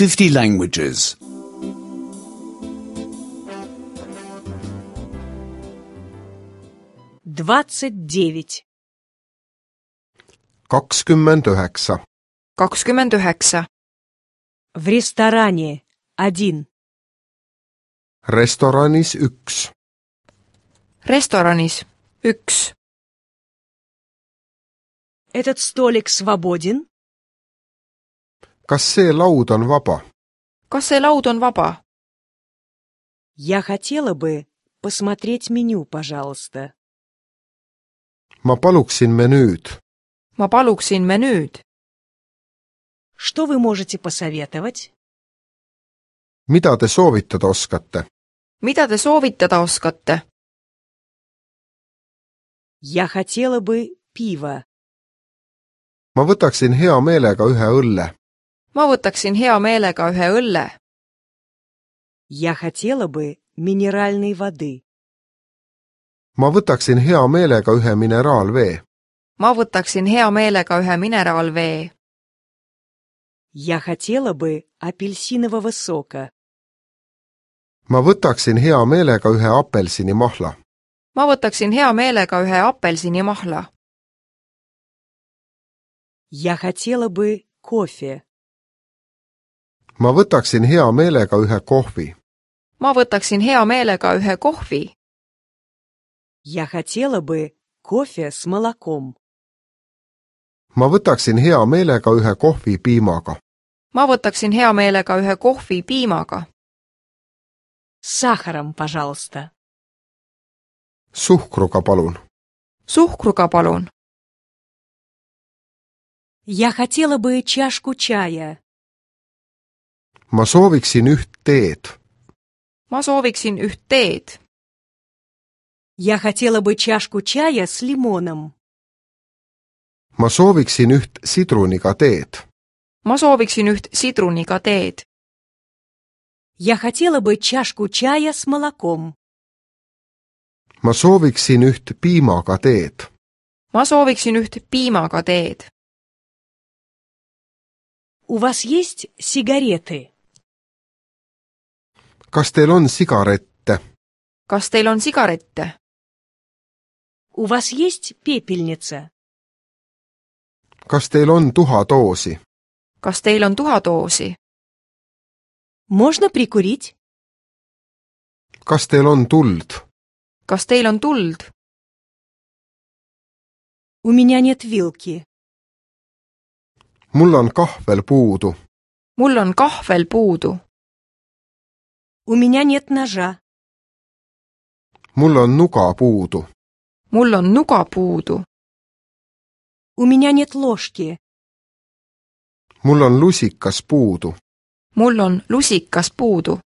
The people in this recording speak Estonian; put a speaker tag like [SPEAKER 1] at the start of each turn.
[SPEAKER 1] 50 languages.
[SPEAKER 2] 29.
[SPEAKER 3] 29.
[SPEAKER 4] 29.
[SPEAKER 2] В ресторане 1.
[SPEAKER 3] Restoranis 1.
[SPEAKER 4] Restoranis 1.
[SPEAKER 2] Этот столик свободен?
[SPEAKER 3] Kas see laud on vaba?
[SPEAKER 4] Kas see laud on vaba?
[SPEAKER 2] Я хотела бы посмотреть меню, пожалуйста.
[SPEAKER 3] Ma paluksin menüüd.
[SPEAKER 4] Ma paluksin menüüd.
[SPEAKER 2] Что вы можете посоветовать?
[SPEAKER 3] Mida te soovitada oskate?
[SPEAKER 4] Mida te soovitada oskate?
[SPEAKER 2] Я хотела бы пиво.
[SPEAKER 3] Ma võtaksin hea meelega ühe õlle.
[SPEAKER 4] Ma võtaksin hea meelega ühe õlle.
[SPEAKER 2] Я хотела бы минеральной воды.
[SPEAKER 3] Ma võtaksin hea meelega ühe mineraalvee.
[SPEAKER 4] Ma võtaksin hea meelega ühe mineraalvee.
[SPEAKER 2] Я хотела бы апельсинового сока.
[SPEAKER 3] Ma võtaksin hea meelega ühe apelsinimahla.
[SPEAKER 4] Ma võtaksin hea meelega ühe apelsinimahla.
[SPEAKER 2] Я хотела бы кофе.
[SPEAKER 3] Ma võtaksin hea meelega ühe kohvi.
[SPEAKER 4] Ma võtaksin hea meelega ühe kohvi.
[SPEAKER 2] Я хотела бы кофе с молоком.
[SPEAKER 3] Ma võtaksin hea meelega ühe kohvi piimaga.
[SPEAKER 4] Ma võtaksin hea meelega ühe kohvi piimaga.
[SPEAKER 2] С сахаром, пожалуйста.
[SPEAKER 3] Suhkruga palun.
[SPEAKER 4] Suhkruga palun.
[SPEAKER 2] Я хотела бы чашку чая.
[SPEAKER 3] Ma sooviksin üht teed.
[SPEAKER 4] Ma sooviksin üht teed.
[SPEAKER 2] Я хотела бы чашку чая с лимоном.
[SPEAKER 3] Ma sooviksin üht sidruniga teed.
[SPEAKER 4] Ma sooviksin üht sidruniga teed.
[SPEAKER 2] Я хотела бы чашку чая с молоком.
[SPEAKER 3] Ma sooviksin üht piimaga teed.
[SPEAKER 4] Ma sooviksin üht piimaga teed.
[SPEAKER 2] У вас есть сигареты?
[SPEAKER 3] Kas teil on sigarette?
[SPEAKER 4] Kas teil on sigarette?
[SPEAKER 2] У вас есть пепельница?
[SPEAKER 3] Kas teil on tuhadoosi?
[SPEAKER 4] Kas teil on tuhadoosi?
[SPEAKER 2] Можно прикурить?
[SPEAKER 3] Kas teil on tuld?
[SPEAKER 4] Kas teil on tuld?
[SPEAKER 2] У меня нет вилки.
[SPEAKER 3] Mul on kahvel puudu.
[SPEAKER 4] Mul on kahvel puudu.
[SPEAKER 2] У меня нет ножа.
[SPEAKER 3] Mul on nuga puudu.
[SPEAKER 4] Mul on nuga puudu.
[SPEAKER 2] У меня нет ложки.
[SPEAKER 3] Mul on lusikas puudu.
[SPEAKER 4] Mul on lusikas puudu.